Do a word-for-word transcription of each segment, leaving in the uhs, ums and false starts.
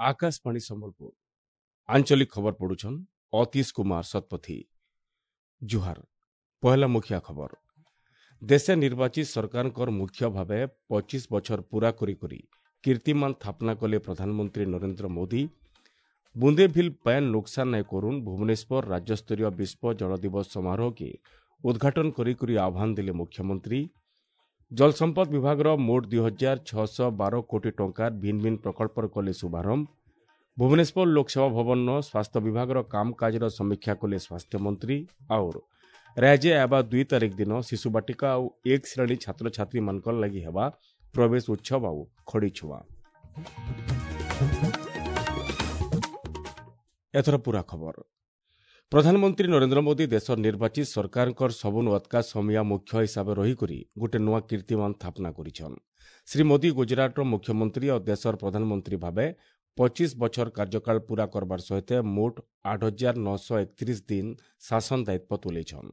ଆକାଶବାଣୀ ସମ୍ବଲପୁର ଆଞ୍ଚଳିକ ଖବର ପଢୁଛନ୍ ଅତୀଶ କୁମାର ଶତପଥୀ ଜୁହାର ପହେଲା ମୁଖିଆ ଖବର ଦେଶେ ନିର୍ବାଚିତ ସରକାରଙ୍କର ମୁଖ୍ୟ ଭାବେ ପଚିଶ ବଛର ପୂରା କରି କରି କୀର୍ତ୍ତିମାନ ସ୍ଥାପନା କଲେ ପ୍ରଧାନମନ୍ତ୍ରୀ ନରେନ୍ଦ୍ର ମୋଦି ବୁନ୍ଦେ ଭିଲ୍ ପାଏନ୍ ନୁକସାନ ନାଇଁ କରୁନ୍ ଭୁବନେଶ୍ୱର ରାଜ୍ୟସ୍ତରୀୟ ବିଶ୍ୱ ଜଳ ଦିବସ ସମାରୋହକେ ଉଦ୍ଘାଟନ କରି କରି ଆହ୍ୱାନ ଦେଲେ ମୁଖ୍ୟମନ୍ତ୍ରୀ ଜଳସମ୍ପଦ ବିଭାଗର ମୋଟ ଦୁଇ ହଜାର ଛଅଶହ ବାର କୋଟି ଟଙ୍କାର ଭିନ୍ନ ଭିନ୍ନ ପ୍ରକଳ୍ପର କଲେ ଶୁଭାରମ୍ଭ ଭୁବନେଶ୍ୱର ଲୋକସେବା ଭବନର ସ୍ୱାସ୍ଥ୍ୟ ବିଭାଗର କାମକାଜର ସମୀକ୍ଷା କଲେ ସ୍ୱାସ୍ଥ୍ୟମନ୍ତ୍ରୀ ଆଉର ରାଜ୍ୟ ଆବା ଦୁଇ ତାରିଖ ଦିନ ଶିଶୁ ବାଟିକା ଆଉ ଏକ ଶ୍ରେଣୀ ଛାତ୍ରଛାତ୍ରୀମାନଙ୍କର ଲାଗି ହେବା ପ୍ରବେଶ ଉତ୍ସବ ଆଉ ଖଡ଼ି ଛୁଆଁ ଏଥର ପୂରା ଖବର ପ୍ରଧାନମନ୍ତ୍ରୀ ନରେନ୍ଦ୍ର ମୋଦି ଦେଶର ନିର୍ବାଚିତ ସରକାରଙ୍କର ସବୁନୁ ଅତ୍କା ସମିଆ ମୁଖ୍ୟ ହିସାବରେ ରହିକରି ଗୋଟେ ନୂଆ କୀର୍ତ୍ତିମାନ ସ୍ଥାପନା କରିଛନ୍ ଶ୍ରୀ ମୋଦି ଗୁଜରାଟର ମୁଖ୍ୟମନ୍ତ୍ରୀ ଆଉ ଦେଶର ପ୍ରଧାନମନ୍ତ୍ରୀ ଭାବେ ପଚିଶ ବଛର କାର୍ଯ୍ୟକାଳ ପୂରା କରବାର ସହିତ ମୋଟ ଆଠ ହଜାର ନଅଶହ ଏକତିରିଶ ଦିନ ଶାସନ ଦାୟିତ୍ୱ ତୁଲେଇଛନ୍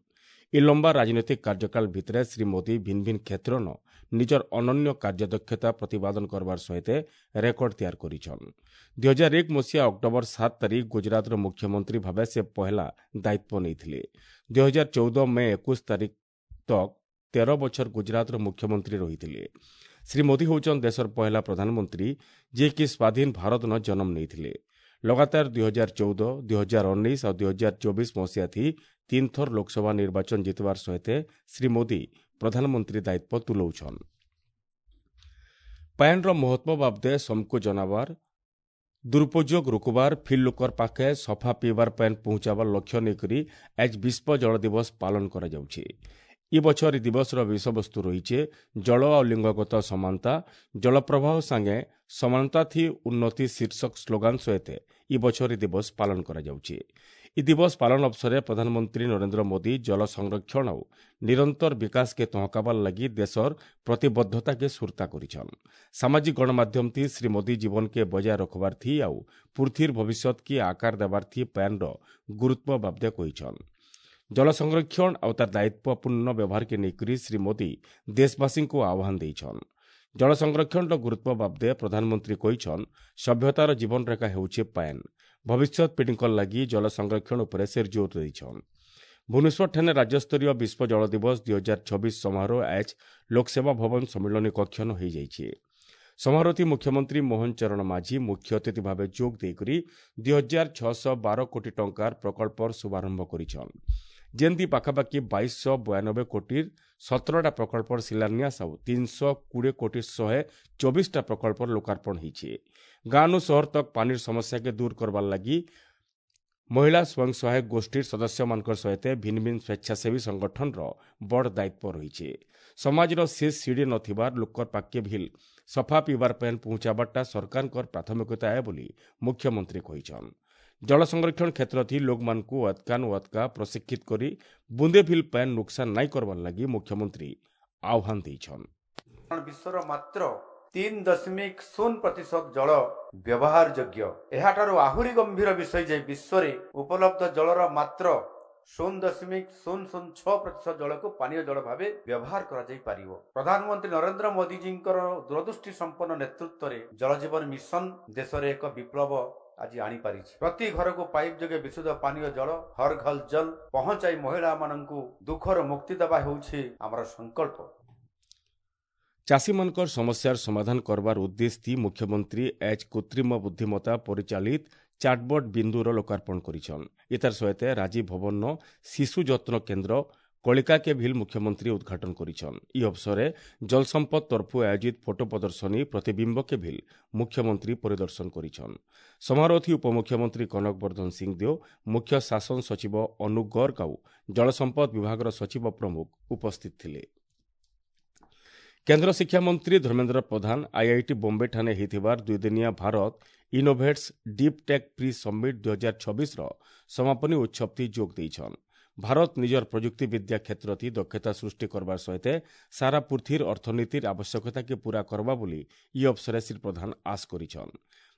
ଏ ଲମ୍ବା ରାଜନୈତିକ କାର୍ଯ୍ୟକାଳ ଭିତରେ ଶ୍ରୀ ମୋଦି ଭିନ୍ନ ଭିନ୍ନ କ୍ଷେତ୍ରନ ନିଜର ଅନନ୍ୟ କାର୍ଯ୍ୟଦକ୍ଷତା ପ୍ରତିପାଦନ କରବାର ସହିତ ରେକର୍ଡ ତିଆରି କରିଛନ୍ ଦୁଇ ହଜାର ଏକ ମସିହା ଅକ୍ଟୋବର ସାତ ତାରିଖ ଗୁଜରାଟର ମୁଖ୍ୟମନ୍ତ୍ରୀ ଭାବେ ସେ ପହେଲା ଦାୟିତ୍ୱ ନେଇଥିଲେ ଦୁଇ ହଜାର ଚଉଦ ମେ ଏକୋଇଶ ତାରିଖ ତକ୍ ତେର ବଛର ଗୁଜରାଟର ମୁଖ୍ୟମନ୍ତ୍ରୀ ରହିଥିଲେ ଶ୍ରୀ ମୋଦି ହେଉଛନ୍ ଦେଶର ପହେଲା ପ୍ରଧାନମନ୍ତ୍ରୀ ଯିଏକି ସ୍ୱାଧୀନ ଭାରତନ ଜନ୍ମ ନେଇଥିଲେ ଲଗାତାର ଦୁଇ ହଜାର ଚଉଦ ଦୁଇ ହଜାର ଉଣେଇଶ ଆଉ ଦୁଇ ହଜାର ଚବିଶ ମସିହାଥି ତିନି ଥର ଲୋକସଭା ନିର୍ବାଚନ ଜିତିବାର ସହିତ ଶ୍ରୀ ମୋଦି ପ୍ରଧାନମନ୍ତ୍ରୀ ଦାୟିତ୍ୱ ତୁଲଉଛନ୍ ପାଏନ୍ର ମହତ୍ତ୍ୱ ବାବଦେ ସମକୁ ଜନାବାର ଦୁରୁପଯୋଗ ରୋକବାର ଫିର୍ ଲୋକର ପାଖେ ସଫା ପିଇବାର ପାଏନ୍ ପହଞ୍ଚାବାର ଲକ୍ଷ୍ୟ ନେଇକରି ଆଜ୍ ବିଶ୍ୱ ଜଳ ଦିବସ ପାଳନ କରାଯାଉଛି ଇ ବଛର ଇ ଦିବସର ବିଷୟବସ୍ତୁ ରହିଛେ ଜଳ ଆଉ ଲିଙ୍ଗଗତ ସମାନତା ଜଳପ୍ରବାହ ସାଙ୍ଗେ ସମାନତା ଥି ଉନ୍ନତି ଶୀର୍ଷକ ସ୍ଲୋଗାନ ସହିତ ଇ ବଛର ଇ ଦିବସ ପାଳନ କରାଯାଉଛି ଇ ଦିବସ ପାଳନ ଅବସରରେ ପ୍ରଧାନମନ୍ତ୍ରୀ ନରେନ୍ଦ୍ର ମୋଦି ଜଳ ସଂରକ୍ଷଣ ଆଉ ନିରନ୍ତର ବିକାଶକେ ତହକାବାର ଲାଗି ଦେଶର ପ୍ରତିବଦ୍ଧତାକେ ସୁରତା କରିଛନ୍ ସାମାଜିକ ଗଣମାଧ୍ୟମ ଥି ଶ୍ରୀ ମୋଦି ଜୀବନକେ ବଜାୟ ରଖବାର ଥି ଆଉ ପୃଥିବୀର ଭବିଷ୍ୟତକେ ଆକାର ଦେବାର ଥି ପାଏନ୍ର ଗୁରୁତ୍ୱ ବାବଦେ କହିଛନ୍ ଜଳ ସଂରକ୍ଷଣ ଆଉ ତାର ଦାୟିତ୍ୱପୂର୍ଣ୍ଣ ବ୍ୟବହାରକେ ନେଇକରି ଶ୍ରୀ ମୋଦି ଦେଶବାସୀଙ୍କୁ ଆହ୍ୱାନ ଦେଇଛନ୍ ଜଳ ସଂରକ୍ଷଣର ଗୁରୁତ୍ୱ ବାବଦେ ପ୍ରଧାନମନ୍ତ୍ରୀ କହିଛନ୍ ସଭ୍ୟତାର ଜୀବନରେଖା ହେଉଛି ପାଏନ୍ ଭବିଷ୍ୟତ ପିଢ଼ିଙ୍କ ଲାଗି ଜଳ ସଂରକ୍ଷଣ ଉପରେ ସେ ଜୋର ଦେଇଛନ୍ ଭୁବନେଶ୍ୱରଠାରେ ରାଜ୍ୟସ୍ତରୀୟ ବିଶ୍ୱ ଜଳ ଦିବସ ଦୁଇ ହଜାର ଛବିଶ ସମାରୋହ ଆଜ୍ ଲୋକସେବା ଭବନ ସମ୍ମିଳନୀ କକ୍ଷନ ହୋଇଯାଇଛି ସମାରୋହଟି ମୁଖ୍ୟମନ୍ତ୍ରୀ ମୋହନ ଚରଣ ମାଝୀ ମୁଖ୍ୟ ଅତିଥି ଭାବେ ଯୋଗ ଦେଇକରି ଦୁଇ ହଜାର ଛଅଶହ ବାର କୋଟି ଟଙ୍କାର ପ୍ରକଳ୍ପର ଶୁଭାରମ୍ଭ କରିଛନ୍ ଯେମିତି ପାଖାପାଖି ବାଇଶଶହ ବୟାନବେ କୋଟିର ସତରଟା ପ୍ରକଳ୍ପର ଶିଳାନ୍ୟାସ ଆଉ ତିନିଶହ କୋଡ଼ିଏ କୋଟି ଶହେ ଚବିଶଟା ପ୍ରକଳ୍ପର ଲୋକାର୍ପଣ ହେଇଛି ଗାଁନୁ ସହର ତକ୍ ପାନିର ସମସ୍ୟାକେ ଦୂର କରବାର୍ ଲାଗି ମହିଳା ସ୍ୱୟଂ ସହାୟକ ଗୋଷ୍ଠୀର ସଦସ୍ୟମାନଙ୍କର ସହିତ ଭିନ୍ନ ଭିନ୍ନ ସ୍ୱେଚ୍ଛାସେବୀ ସଂଗଠନର ବଡ଼ ଦାୟିତ୍ୱ ରହିଛି ସମାଜର ଶେଷ ସିଡ଼ି ନଥିବାର ଲୋକର ପାଖକେ ଭିଲ୍ ସଫା ପିଇବାର ପାଏନ୍ ପହଞ୍ଚାବାରଟା ସରକାରଙ୍କର ପ୍ରାଥମିକତା ଏ ବୋଲି ମୁଖ୍ୟମନ୍ତ୍ରୀ କହିଛନ୍ ଜଳ ସଂରକ୍ଷଣ କ୍ଷେତ୍ରଥି ଲୋକମାନଙ୍କୁ ଅତ୍କାନୁ ଅତ୍କା ପ୍ରଶିକ୍ଷିତ କରି ବୁନ୍ଦେ ଭିଲ୍ ପାଏନ୍ ନୁକସାନ ନାଇଁ କରବାର୍ ଲାଗି ମୁଖ୍ୟମନ୍ତ୍ରୀ ଆହ୍ୱାନ ଦେଇଛନ୍ ବିଶ୍ୱର ମାତ୍ର ତିନି ଦଶମିକ ଶୂନ ପ୍ରତିଶତ ଜଳ ବ୍ୟବହାର ଯୋଗ୍ୟ ଏହାଠାରୁ ଆହୁରି ଗମ୍ଭୀର ବିଷୟ ଯେ ବିଶ୍ୱରେ ଉପଲବ୍ଧ ଜଳର ମାତ୍ର ଶୂନ ଦଶମିକ ଶୂନ ଶୂନ ଛଅ ପ୍ରତିଶତ ଜଳକୁ ପାନୀୟ ଜଳ ଭାବେ ବ୍ୟବହାର କରାଯାଇ ପାରିବ ପ୍ରଧାନମନ୍ତ୍ରୀ ନରେନ୍ଦ୍ର ମୋଦିଜୀଙ୍କର ଦୂରଦୃଷ୍ଟି ସମ୍ପନ୍ନ ନେତୃତ୍ୱରେ ଜଳ ଜୀବନ ମିଶନ ଦେଶରେ ଏକ ବିପ୍ଳବ ଆଜି ଆଣିପାରିଛି ପ୍ରତି ଘରକୁ ପାଇପ୍ ଯୋଗେ ବିଶୁଦ୍ଧ ପାନୀୟ ଜଳ ହର ଘର ଜଲ ପହଞ୍ଚାଇ ମହିଳାମାନଙ୍କୁ ଦୁଃଖର ମୁକ୍ତି ଦେବା ହେଉଛି ଆମର ସଂକଳ୍ପ ଚାଷୀମାନଙ୍କର ସମସ୍ୟାର ସମାଧାନ କରବାର ଉଦ୍ଦେଶ୍ୟ ମୁଖ୍ୟମନ୍ତ୍ରୀ ଏଚ୍ କୃତ୍ରିମ ବୁଦ୍ଧିମତ୍ତା ପରିଚାଳିତ ଚାଟବଟ୍ ବିନ୍ଦୁର ଲୋକାର୍ପଣ କରିଛନ୍ ଏତାର ସହିତ ରାଜୀବ ଭବନର ଶିଶୁ ଯତ୍ନ କେନ୍ଦ୍ର କଳିକାକେ ଭିଲ୍ ମୁଖ୍ୟମନ୍ତ୍ରୀ ଉଦ୍ଘାଟନ କରିଛନ୍ ଇ ଅବସରରେ ଜଳସମ୍ପଦ ତରଫୁ ଆୟୋଜିତ ଫଟୋ ପ୍ରଦର୍ଶନୀ ପ୍ରତିବିମ୍ବକେ ଭିଲ୍ ମୁଖ୍ୟମନ୍ତ୍ରୀ ପରିଦର୍ଶନ କରିଛନ୍ ସମାରୋହଥି ଉପମୁଖ୍ୟମନ୍ତ୍ରୀ କନକ ବର୍ଦ୍ଧନ ସିଂଦେଓ ମୁଖ୍ୟ ଶାସନ ସଚିବ ଅନୁପ ଗର୍ଗ ଆଉ ଜଳସମ୍ପଦ ବିଭାଗର ସଚିବ ପ୍ରମୁଖ ଉପସ୍ଥିତ ଥିଲେ କେନ୍ଦ୍ର ଶିକ୍ଷାମନ୍ତ୍ରୀ ଧର୍ମେନ୍ଦ୍ର ପ୍ରଧାନ ଆଇଆଇଟି ବମ୍ବେଠାରେ ହୋଇଥିବାର ଦୁଇଦିନିଆ Bharat Innovates Deep Tech Pre Summit ଦୁଇ ହଜାର ଛବିଶର ସମାପନୀ ଉତ୍ସବଥି ଯୋଗ ଦେଇଛନ୍ ଭାରତ ନିଜର ପ୍ରଯୁକ୍ତି ବିଦ୍ୟା କ୍ଷେତ୍ରଥି ଦକ୍ଷତା ସୃଷ୍ଟି କରବାର ସହିତ ସାରା ପୃଥିବୀର ଅର୍ଥନୀତିର ଆବଶ୍ୟକତାକେ ପୂରା କରବା ବୋଲି ଇ ଅବସରରେ ଶ୍ରୀ ପ୍ରଧାନ ଆଶ କରିଛନ୍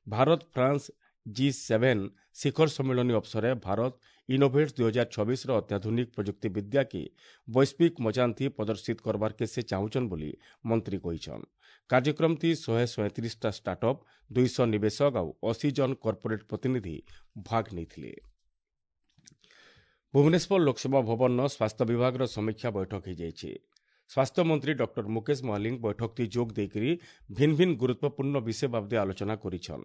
ଭାରତ ଫ୍ରାନ୍ସ ଜି ସେଭେନ୍ ଶିଖର ସମ୍ମିଳନୀ ଅବସରରେ ଭାରତ ଇନୋଭେଟ୍ସ ଦୁଇ ହଜାର ଛବିଶର ଅତ୍ୟାଧୁନିକ ପ୍ରଯୁକ୍ତି ବିଦ୍ୟାକେ ବୈଶ୍ୱିକ ମଚାନ୍ଥି ପ୍ରଦର୍ଶିତ କରବାର୍କେ ସେ ଚାହୁଁଛନ୍ ବୋଲି ମନ୍ତ୍ରୀ କହିଛନ୍। କାର୍ଯ୍ୟକ୍ରମଥି ଶହେ ସଇଁତିରିଶଟା ଷ୍ଟାର୍ଟଅପ୍, ଦୁଇଶହ ନିବେଶକ ଆଉ ଅଶୀ ଜଣ କର୍ପୋରେଟ୍ ପ୍ରତିନିଧି ଭାଗ ନେଇଥିଲେ। ଭୁବନେଶ୍ୱର ଲୋକସେବା ଭବନର ସ୍ୱାସ୍ଥ୍ୟ ବିଭାଗର ସମୀକ୍ଷା ବୈଠକ ହୋଇଯାଇଛି। ସ୍ୱାସ୍ଥ୍ୟମନ୍ତ୍ରୀ ଡକ୍ଟର ମୁକେଶ ମହାଲିଙ୍ଗ ବୈଠକଟି ଯୋଗ ଦେଇକରି ଭିନ୍ନ ଭିନ୍ନ ଗୁରୁତ୍ୱପୂର୍ଣ୍ଣ ବିଷୟ ବାବଦେ ଆଲୋଚନା କରିଛନ୍।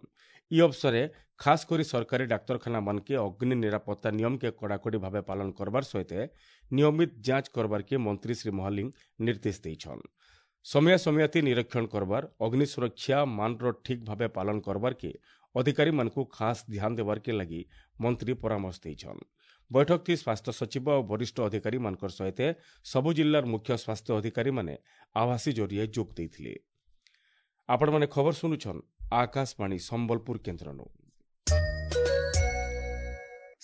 ଇ ଅବସରେ ଖାସ୍ କରି ସରକାରୀ ଡାକ୍ତରଖାନାମାନକେ ଅଗ୍ନି ନିରାପତ୍ତା ନିୟମକେ କଡ଼ାକଡ଼ି ଭାବେ ପାଳନ କରବାର ସହିତ ନିୟମିତ ଯାଞ୍ଚ କରବାର୍କେ ମନ୍ତ୍ରୀ ଶ୍ରୀ ମହାଲିଙ୍ଗ ନିର୍ଦ୍ଦେଶ ଦେଇଛନ୍। ସମୟା ସମୟାତି ନିରୀକ୍ଷଣ କରବାର, ଅଗ୍ନି ସୁରକ୍ଷା ମାନର ଠିକ୍ ଭାବେ ପାଳନ କରବାର୍କେ ଅଧିକାରୀମାନଙ୍କୁ ଖାସ୍ ଧ୍ୟାନ ଦେବାର୍କେ ଲାଗି ମନ୍ତ୍ରୀ ପରାମର୍ଶ ଦେଇଛନ୍। ବୈଠକଟି ସ୍ୱାସ୍ଥ୍ୟ ସଚିବ ଓ ବରିଷ୍ଠ ଅଧିକାରୀମାନଙ୍କର ସହିତ ସବୁ ଜିଲ୍ଲାର ମୁଖ୍ୟ ସ୍ୱାସ୍ଥ୍ୟ ଅଧିକାରୀମାନେ ଆଭାସୀ ଜରିଆରେ ଯୋଗ ଦେଇଥିଲେ। ଆପଣମାନେ ଖବର ଶୁଣୁଛନ୍ ଆକାଶବାଣୀ ସମ୍ବଲପୁର କେନ୍ଦ୍ରନୁ।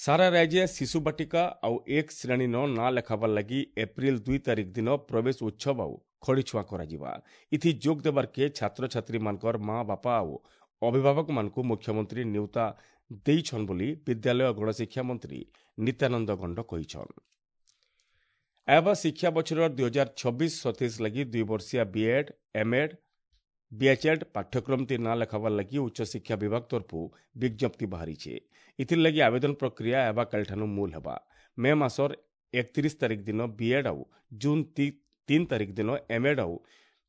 ସାରା ରାଜ୍ୟ ଶିଶୁ ବାଟିକା ଆଉ ଏକ ଶ୍ରେଣୀନ ନାଁ ଲେଖାବାର ଲାଗି ଏପ୍ରିଲ ଦୁଇ ତାରିଖ ଦିନ ପ୍ରବେଶ ଉତ୍ସବ ଆଉ ଖଡ଼ିଛୁଆଁ କରାଯିବା। ଇଥି ଯୋଗ ଦେବାର୍କେ ଛାତ୍ରଛାତ୍ରୀମାନଙ୍କର ମା ବାପା ଆଉ ଅଭିଭାବକମାନଙ୍କୁ ମୁଖ୍ୟମନ୍ତ୍ରୀ ନିୟୁତା ଦେଇଛନ୍ ବୋଲି ବିଦ୍ୟାଳୟ ଗଣଶିକ୍ଷା ମନ୍ତ୍ରୀ ନିତ୍ୟାନନ୍ଦ ଗଣ୍ଡ କହିଛନ୍। ଏବା ଶିକ୍ଷା ବଛର ଦୁଇ ହଜାର ଛବିଶ ସତେଇଶ ଲାଗି ଦୁଇ ବର୍ଷିଆ ବିଏଡ୍, ଏମ୍ଏଡ୍, ବିଏଚ୍ଏଡ୍ ପାଠ୍ୟକ୍ରମଟି ନାଁ ଲେଖାବାର ଲାଗି ଉଚ୍ଚଶିକ୍ଷା ବିଭାଗ ତରଫରୁ ବିଜ୍ଞପ୍ତି ବାହାରିছে। ଏଥିର୍ ଲାଗି ଆବେଦନ ପ୍ରକ୍ରିୟା ହେବା କାଲିଠାନୁ ମୂଲ ହେବା। ମେ ମାସର ଏକତିରିଶ ତାରିଖ ଦିନ ବିଏଡ୍ ଆଉ ଜୁନ୍ ତିନି ତାରିଖ ଦିନ ଏମ୍ଏଡ୍ ଆଉ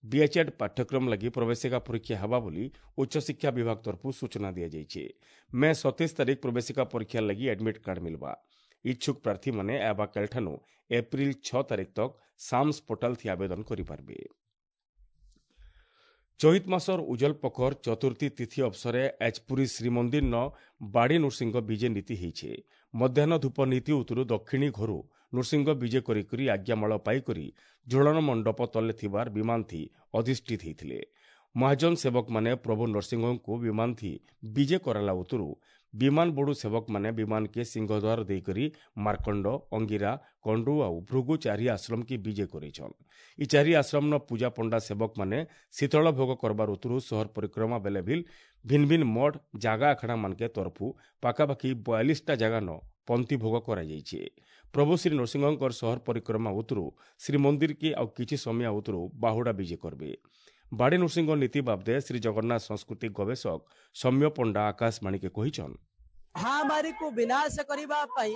ବିଏଚ୍ଏଡ୍ ପାଠ୍ୟକ୍ରମ ଲାଗି ପ୍ରବେଶିକା ପରୀକ୍ଷା ହେବା ବୋଲି ଉଚ୍ଚଶିକ୍ଷା ବିଭାଗ ତରଫରୁ ସୂଚନା ଦିଆଯାଇଛି। ମେ ସତେଇଶ ତାରିଖ ପ୍ରବେଶିକା ପରୀକ୍ଷା ଲାଗି ଆଡମିଟ୍ କାର୍ଡ ମିଲବା। ଇଚ୍ଛୁକ ପ୍ରାର୍ଥୀମାନେ ହେବା କାଲିଠାନୁ ଏପ୍ରିଲ ଛଅ ତାରିଖ ତକ୍ ସାମ୍ସ ପୋର୍ଟାଲ ଥି ଆବେଦନ କରିପାରିବେ। ଚୈତ ମାସର ଉଜଲ ପଖର ଚତୁର୍ଥୀ ତିଥି ଅବସରେ ଆଜ୍ ପୁରୀ ଶ୍ରୀମନ୍ଦିରନ ବାଡ଼ି ନୃସିଂହ ବିଜେ ନୀତି ହେଇଛେ। ମଧ୍ୟାହ୍ନ ଧୂପ ନୀତି ଉତରୁ ଦକ୍ଷିଣୀ ଘରୁ ନୃସିଂହ ବିଜେ କରିକରି ଆଜ୍ଞାମାଳ ପାଇକରି ଝୁଳନ ମଣ୍ଡପ ତଲେ ଥିବାର ବିମାନଥି ଅଧିଷ୍ଠିତ ହେଇଥିଲେ। ମହାଜନ ସେବକମାନେ ପ୍ରଭୁ ନରସିଂହଙ୍କୁ ବିମାନଥି ବିଜେ କରାଲା ଉତରୁ ବିମାନ ବୋଡୁ ସେବକମାନେ ବିମାନକେ ସିଂହଦ୍ୱାର ଦେଇକରି ମାର୍କଣ୍ଡ, ଅଙ୍ଗିରା, କଣ୍ଡୁ ଆଉ ଭୃଗୁ ଚାରି ଆଶ୍ରମକି ବିଜେ କରେଇଛନ୍। ଇ ଚାରି ଆଶ୍ରମନ ପୂଜା ପଣ୍ଡା ସେବକମାନେ ଶୀତଳ ଭୋଗ କରବାର ଉତରୁ ସହର ପରିକ୍ରମା ବେଲେ ଭିଲ୍ ଭିନ୍ ଭିନ୍ ମଠ ଜାଗା ଆଖଡ଼ା ମାନକେ ତରଫୁ ପାଖାପାଖି ବୟାଳିଶଟା ଜାଗାନ ପନ୍ତି ଭୋଗ କରାଯାଇଛି। ପ୍ରଭୁ ଶ୍ରୀ ନରସିଂହଙ୍କର ସହର ପରିକ୍ରମା ଉତରୁ ଶ୍ରୀମନ୍ଦିରକେ ଆଉ କିଛି ସମୟ ଉତରୁ ବାହୁଡ଼ା ବିଜେ କରବେ। ବାଡ଼ି ନୃସିଂହ ନୀତି ବାବଦେ ଶ୍ରୀ ଜଗନ୍ନାଥ ସଂସ୍କୃତି ଗବେଷକ ସୌମ୍ୟ ପଣ୍ଡା ଆକାଶବାଣୀକେ କହିଛନ୍, ମହାମାରୀକୁ ବିନାଶ କରିବା ପାଇଁ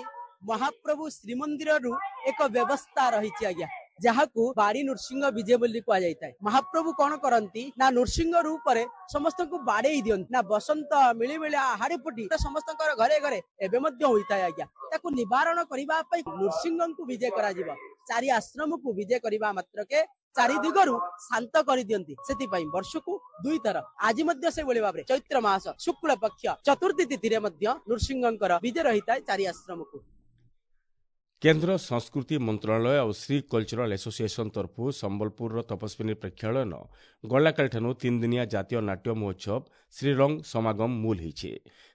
ମହାପ୍ରଭୁ ଶ୍ରୀମନ୍ଦିରରୁ ଏକ ବ୍ୟବସ୍ଥା ରହିଛି ଆଜ୍ଞା, ଯାହାକୁ ବାଡ଼ି ନୃସିଂହ ବିଜେ ବୋଲି କୁହାଯାଇଥାଏ। ମହାପ୍ରଭୁ କଣ କରନ୍ତି ନା ନୃସିଂହ ରୂପରେ ସମସ୍ତଙ୍କୁ ବାଡେଇ ଦିଅନ୍ତି ନା ବସନ୍ତ ମିଳିମିଳିଆ ହାଡି ଫୁଟି ସମସ୍ତଙ୍କର ଘରେ ଘରେ ଏବେ ମଧ୍ୟ ହୋଇଥାଏ ଆଜ୍ଞା। ତାକୁ ନିବାରଣ କରିବା ପାଇଁ ନୃସିଂହଙ୍କୁ ବିଜେ କରାଯିବ। ଚାରି ଆଶ୍ରମକୁ ବିଜେ କରିବା ମାତ୍ରକେ ଚାରି ଦିଗରୁ ଶାନ୍ତ କରିଦିଅନ୍ତି। ସେଥିପାଇଁ ବର୍ଷକୁ ଦୁଇଥର ଆଜି ମଧ୍ୟ ସେଇଭଳି ଭାବରେ ଚୈତ୍ର ମାସ ଶୁକ୍ଳ ପକ୍ଷ ଚତୁର୍ଥୀ ତିଥିରେ ମଧ୍ୟ ନୃସିଂହଙ୍କର ବିଜେ ରହିଥାଏ ଚାରି ଆଶ୍ରମକୁ। କେନ୍ଦ୍ର ସଂସ୍କୃତି ମନ୍ତ୍ରଣାଳୟ ଆଉ ଶ୍ରୀ କଲଚରାଲ ଆସୋସିଏସନ ତରଫରୁ ସମ୍ବଲପୁରର ତପସ୍ୱିନୀ ପ୍ରେକ୍ଷାଳୟନ ଗଲାକାଲିଠାନୁ ତିନିଦିନିଆ ଜାତୀୟ ନାଟ୍ୟ ମହୋତ୍ସବ ଶ୍ରୀରଙ୍ଗ ସମାଗମ ମୂଲ ହେଇছে।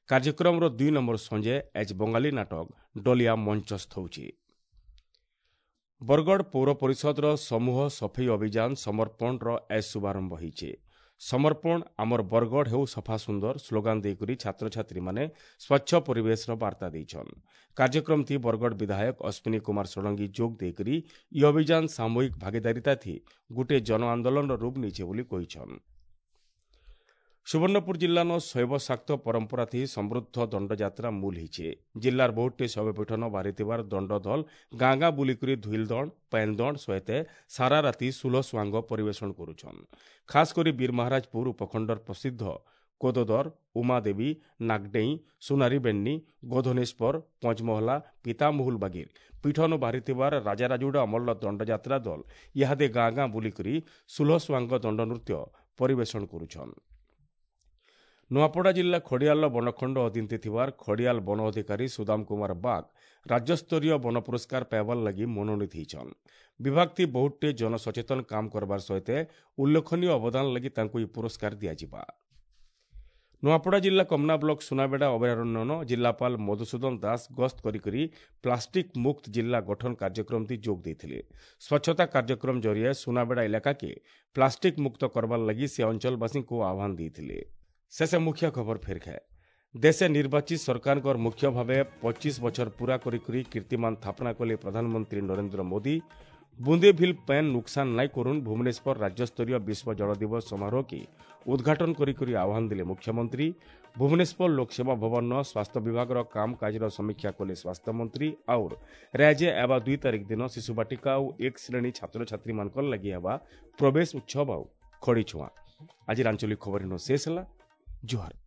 କାର୍ଯ୍ୟକ୍ରମର ଦୁଇ ନମ୍ବର ସଞ୍ଜେ ଆଜ୍ ବଙ୍ଗାଳୀ ନାଟକ ଡଲିଆ ମଞ୍ଚସ୍ଥ ହେଉଛି। ବରଗଡ଼ ପୌର ପରିଷଦର ସମୂହ ସଫେଇ ଅଭିଯାନ ସମର୍ପଣର ଆଜ୍ ଶୁଭାରମ୍ଭ ହେଇছে। ସମର୍ପଣ ଆମର ବରଗଡ଼ ହେଉ ସଫା ସୁନ୍ଦର ସ୍ଲୋଗାନ ଦେଇକରି ଛାତ୍ରଛାତ୍ରୀମାନେ ସ୍ୱଚ୍ଛ ପରିବେଶର ବାର୍ତ୍ତା ଦେଇଛନ୍। କାର୍ଯ୍ୟକ୍ରମଥି ବରଗଡ଼ ବିଧାୟକ ଅଶ୍ୱିନୀ କୁମାର ଷଡ଼ଙ୍ଗୀ ଯୋଗ ଦେଇକରି ଇ ଅଭିଯାନ ସାମୂହିକ ଭାଗିଦାରିତା ଥି ଗୋଟିଏ ଜନ ଆନ୍ଦୋଳନର ରୂପ ନେଇছে ବୋଲି କହିଛନ୍। ସୁବର୍ଣ୍ଣପୁର ଜିଲ୍ଲାନ ଶୈବ ଶାକ୍ତ ପରମ୍ପରା ଥି ସମୃଦ୍ଧ ଦଣ୍ଡଯାତ୍ରା ମୂଲ ହେଇଛେ। ଜିଲ୍ଲାର ବହୁତଟି ଶୈବପୀଠନ ବାହାରିଥିବାର ଦଣ୍ଡଦଲ ଗାଁ ଗାଁ ବୁଲିକରି ଧୁଇଲଦଣ୍ଡ, ପାଏନଦଣ୍ଡ ସହିତ ସାରା ରାତି ସୁଲ ସୁଆଙ୍ଗ ପରିବେଷଣ କରୁଛନ୍। ଖାସ୍ କରି ବୀରମହାରାଜପୁର ଉପଖଣ୍ଡର ପ୍ରସିଦ୍ଧ କୋଦଦର, ଉମାଦେବୀ, ନାଗଡେଇଁ, ସୁନାରୀବେନ୍ନି, ଗୋଧନେଶ୍ୱର, ପଞ୍ଚମହଲା, ପିତାମହୁଲ ବାଗିର ପୀଠନ ବାହାରିଥିବାର ରାଜାରାଜୁଡ଼ା ଅମଳର ଦଣ୍ଡଯାତ୍ରା ଦଲ ଇହାଦେ ଗାଁ ଗାଁ ବୁଲିକରି ସୁଲ ସୁଆଙ୍ଗ ଦଣ୍ଡନୃତ୍ୟ ପରିବେଷଣ କରୁଛନ୍। ନୂଆପଡ଼ା ଜିଲ୍ଲା ଖଡ଼ିଆଲର ବନଖଣ୍ଡ ଅଧୀନରେ ଥିବାର ଖଡ଼ିଆଲ ବନ ଅଧିକାରୀ ସୁଦାମ କୁମାର ବାଗ ରାଜ୍ୟସ୍ତରୀୟ ବନ ପୁରସ୍କାର ପାଇବାର ଲାଗି ମନୋନୀତ ହେଇଛନ୍। ବିଭାଗଟି ବହୁତଟେ ଜନସଚେତନ କାମ କରବାର ସହିତ ଉଲ୍ଲେଖନୀୟ ଅବଦାନ ଲାଗି ତାଙ୍କୁ ଏହି ପୁରସ୍କାର ଦିଆଯିବା। ନୂଆପଡ଼ା ଜିଲ୍ଲା କମନା ବ୍ଲକ ସୁନାବେଡ଼ା ଅଭୟାରଣ୍ୟନ ଜିଲ୍ଲାପାଳ ମଧୁସୂଦନ ଦାସ ଗସ୍ତ କରିକରି ପ୍ଲାଷ୍ଟିକ୍ ମୁକ୍ତ ଜିଲ୍ଲା ଗଠନ କାର୍ଯ୍ୟକ୍ରମଟି ଯୋଗ ଦେଇଥିଲେ। ସ୍ୱଚ୍ଛତା କାର୍ଯ୍ୟକ୍ରମ ଜରିଆରେ ସୁନାବେଡ଼ା ଇଲାକାକେ ପ୍ଲାଷ୍ଟିକ୍ ମୁକ୍ତ କରବାର ଲାଗି ସେ ଅଞ୍ଚଳବାସୀଙ୍କୁ ଆହ୍ୱାନ ଦେଇଥିଲେ। ଶେଷ ମୁଖ୍ୟ ଖବର ଫେର ଖାଏ। ଦେଶେ ନିର୍ବାଚିତ ସରକାରଙ୍କର ମୁଖ୍ୟ ଭାବେ ପଚିଶ ବଛର ପୂରା କରିକରି କୀର୍ତ୍ତିମାନ ସ୍ଥାପନା କଲେ ପ୍ରଧାନମନ୍ତ୍ରୀ ନରେନ୍ଦ୍ର ମୋଦି। ବୁନ୍ଦେ ଭିଲ୍ ପେନ୍ ନୁକସାନ ନାଇଁ କରୁନ୍, ଭୁବନେଶ୍ୱର ରାଜ୍ୟସ୍ତରୀୟ ବିଶ୍ୱ ଜଳ ଦିବସ ସମାରୋହକେ ଉଦ୍ଘାଟନ କରିକରି ଆହ୍ୱାନ ଦେଲେ ମୁଖ୍ୟମନ୍ତ୍ରୀ। ଭୁବନେଶ୍ୱର ଲୋକସେବା ଭବନର ସ୍ୱାସ୍ଥ୍ୟ ବିଭାଗର କାମକାଜର ସମୀକ୍ଷା କଲେ ସ୍ୱାସ୍ଥ୍ୟମନ୍ତ୍ରୀ। ଆଉର୍ ରାଜ୍ୟ ହେବା ଦୁଇ ତାରିଖ ଦିନ ଶିଶୁବାଟିକା ଆଉ ଏକ ଶ୍ରେଣୀ ଛାତ୍ରଛାତ୍ରୀମାନଙ୍କର ଲାଗି ହେବା ପ୍ରବେଶ ଉତ୍ସବ ଆଉ ଖଡ଼ି ଛୁଆଁ। ଆଜିର ଆଞ୍ଚଳିକ ଖବର ଶେଷ ହେଲା। ଜୁହାର।